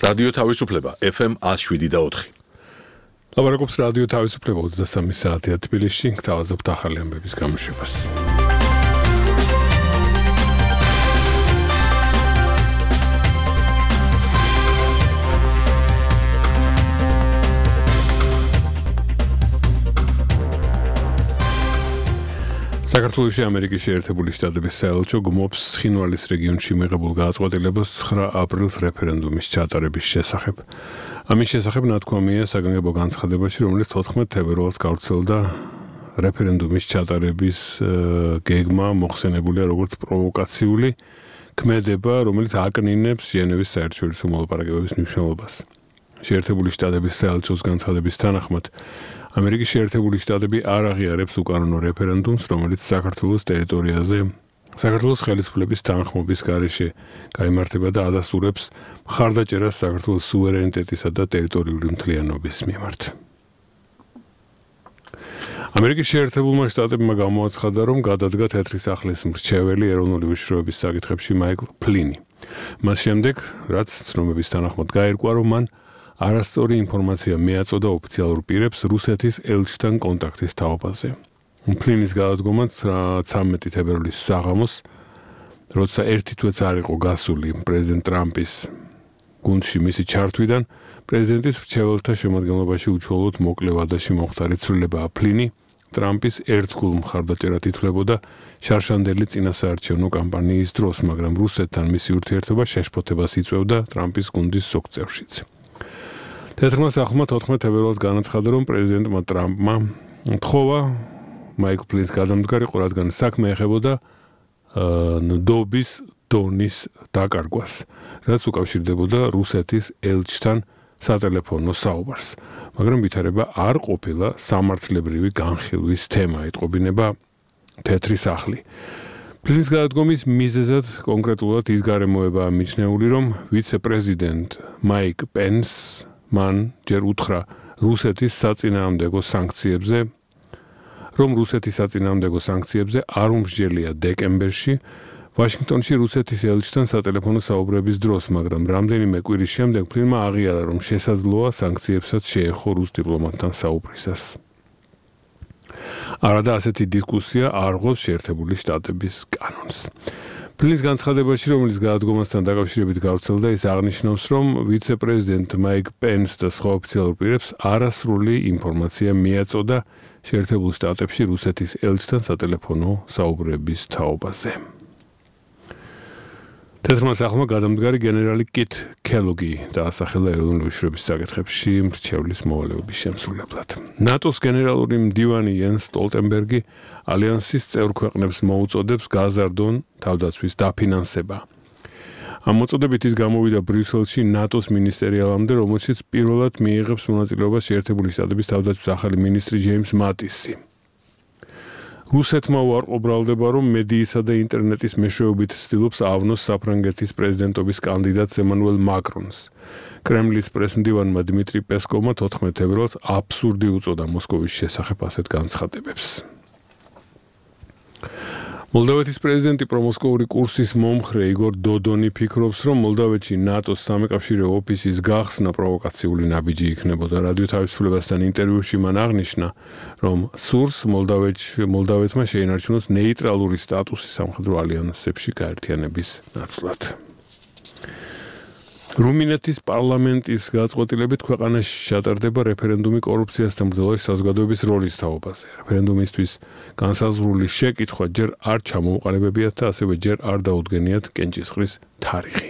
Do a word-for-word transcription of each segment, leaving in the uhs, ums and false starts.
რადიო თავისუფლება F M one oh seven და four. ლაბარაკობს რადიო თავისუფლება ოცდასამი საათია თბილისში, გთავაზობთ ახალი ამბების გამოშვებას. საქართველოში ამერიკის შეერთებული შტატების საელჩო გმობს ცხინვალის რეგიონში მიღებულ გადაწყვეტილებას ცხრა აპრილს რეფერენდუმის ჩატარების შესახებ. ამის შესახებ ნათქვამია საგანგებო განცხადებაში, რომელიც თოთხმეტ თებერვალს გავრცელდა. რეფერენდუმის ჩატარების გეგმა მოხსენებულია როგორც პროვოკაციული ქმედება, რომელიც აკნინებს ჟენევის საერთაშორისო მოლაპარაკებების მნიშვნელობას. შეერთებული შტატების საელჩოს განცხადების თანახმად ამერიკის შეერთებული შტატები არ აღიარებს უკანონო რეფერენდუმს, რომელიც საქართველოს ტერიტორიაზე საქართველოს ხელისუფლების თანხმობის გარეშე გაიმართება და ადასტურებს მხარდაჭერას საქართველოს სუვერენიტეტისა და ტერიტორიული მთლიანობის მიმართ. ამერიკის შეერთებულმა შტატებმა გამოაცხადა, რომ გადადგა თეთრი სახლის მრჩეველი ეროვნული უშიშროების საკითხებში მაიკლ ფლინი. მას შემდეგ, რაც ცნობების თანახმად გაირკვა, რომ მან არასწორი ინფორმაცია მიაწოდა ოფიციალურ პირებს რუსეთის ელჩთან კონტაქტის თაობაზე. ფლინის გადადგომა ცამეტი თებერვლის საღამოს, როცა ერთი თვეც არ იყო გასული პრეზიდენტ ტრამპის გუნდში მისი ჩართვიდან, პრეზიდენტის მრჩეველთა შემადგენლობაში უჩვეულოდ მოკლე ვადაში მომხდარი ცვლილებაა. ფლინი ტრამპის ერთგულ მხარდაჭერად ითვლებოდა შარშანდელი წინასაარჩევნო კამპანიის დროს, მაგრამ რუსეთთან მისი ურთიერთობა შეშფოთებას იწვევდა ტრამპის გუნდის ზოგ წევრშიც. თეთრმა სახლმა თოთხმეტ თებერვალს განაცხადა, რომ პრეზიდენტმა ტრამპმა თხოვა მაიკლ ფლინის გადამდგარიყო, რადგან საქმე ეხებოდა ნდობის დონის დაკარგვას, რაც უკავშირდებოდა რუსეთის ელჩთან სატელეფონო საუბარს. მაგრამ ვითარება არ ყოფილა სამართლებრივი განხილვის თემა, ეტყობინება თეთრი სახლი. ფლინის გადადგომის მიზეზად კონკრეტულად ის გარემოებაა მიჩნეული, რომ ვიცე-პრეზიდენტ მაიკ პენს მან ჯერ უთხრა რუსეთის საწინააღმდეგო სანქციებზე, რომ რუსეთის საწინააღმდეგო სანქციებზე არ უმსჯელია დეკემბერში ვაშინგტონში რუსეთის ელჩთან სატელეფონო საუბრების დროს, მაგრამ რამდენიმე კვირის შემდეგ ფლინმა აღიარა, რომ შესაძლოა სანქციებსაც შეეხო რუს დიპლომატთან საუბრისას. არადა ასეთი დისკუსია არ ღვევს შეერთებული შტატების კანონს. ფლინის განცხადებაში, რომელიც გადადგომასთან დაკავშირებით გავრცელდა, ის აღნიშნავს, რომ ვიცე-პრეზიდენტ მაიკ პენს და სხვა ოფიციალურ პირებს არასრული ინფორმაცია მიაწოდა შეერთებულ შტატებში რუსეთის ელჩთან სატელეფონო საუბრების თაობაზე. თეთრმა სახლმა გადამდგარი გენერალი კით ქელოგი დაასახელა ეროვნული უშიშროების საკითხებში მრჩევლის მოვალეობის შემსრულებლად. ნატოს გენერალური მდივანი იენს სტოლტენბერგი ალიანსის წევრ ქვეყნებს მოუწოდებს გაზარდონ თავდაცვის დაფინანსება. ამ მოწოდებით ის გამოვიდა ბრიუსელში ნატოს მინისტერიალამდე, რომელშიც პირველად მიიღებს მონაწილეობას შეერთებული შტატების თავდაცვის ახალი მინისტრი ჯეიმს მატისი. რუსეთმა უარყო ბრალდება, რომ მედიისა და ინტერნეტის მეშვეობით ცდილობს ავნოს საფრანგეთის პრეზიდენტობის კანდიდატს ემანუელ მაკრონს. კრემლის პრესმდივანმა დმიტრი პესკოვმა თოთხმეტ თებერვალს აბსურდი უწოდა მოსკოვის შესახებ ასეთ განცხადებებს. მოლდოვეთის პრეზიდენტი პრომოსკოვური კურსის მომხრე იგორ დოდონი ფიქრობს, რომ მოლდოვეთში ნატოს სამეკავშირეო ოფისის გახსნა პროვოკაციული ნაბიჯი იქნებოდა. რადიო თავისუფლებასთან ინტერვიუში მან აღნიშნა, რომ სურს მოლდოვეთმა შეინარჩუნოს ნეიტრალური სტატუსი სამხედრო ალიანსებში გაერთიანების ნაცვლად. რუმინეთის პარლამენტის გადაწყვეტილებით ქვეყანაში ჩატარდება რეფერენდუმი კორუფციასთან ბრძოლაში საზოგადოების როლის თაობაზე. რეფერენდუმისთვის განსაზღვრული შეკითხვა ჯერ არ ჩამოუყალიბებიათ და ასევე ჯერ არ დაუდგენიათ კენჭისყრის თარიღი.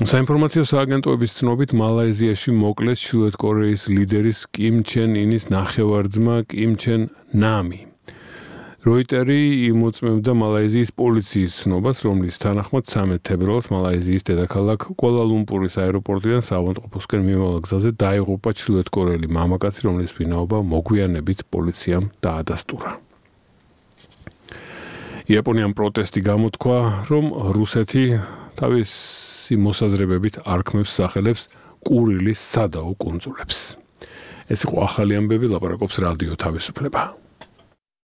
საინფორმაციო სააგენტოების ცნობით მალაიზიაში მოკლეს ჩრდილოეთ კორეის ლიდერის კიმ ჩენ ინის ნახევარ-ძმა კიმ ჩენ ნამი. როიტერი იმოწმებდა მალაიზიის პოლიციის ცნობას, რომლის თანახმად ცამეტ თებერვალს მალაიზიის დედაქალაქ კუალა-ლუმპურის აეროპორტიდან საავადმყოფოსკენ მიმავალ გზაზე დაიღუპა ჩრდილოეთ კორეელი მამაკაცი, რომლის ვინაობა მოგვიანებით პოლიციამ დაადასტურა. იაპონიამ პროტესტი გამოთქვა, რომ რუსეთი თავისი მოსაზრებებით არქმევს სახელებს კურილის სადაო კუნძულებს. ეს იყო ახალი ამბები, ლაპარაკობს რადიო თავისუფლება.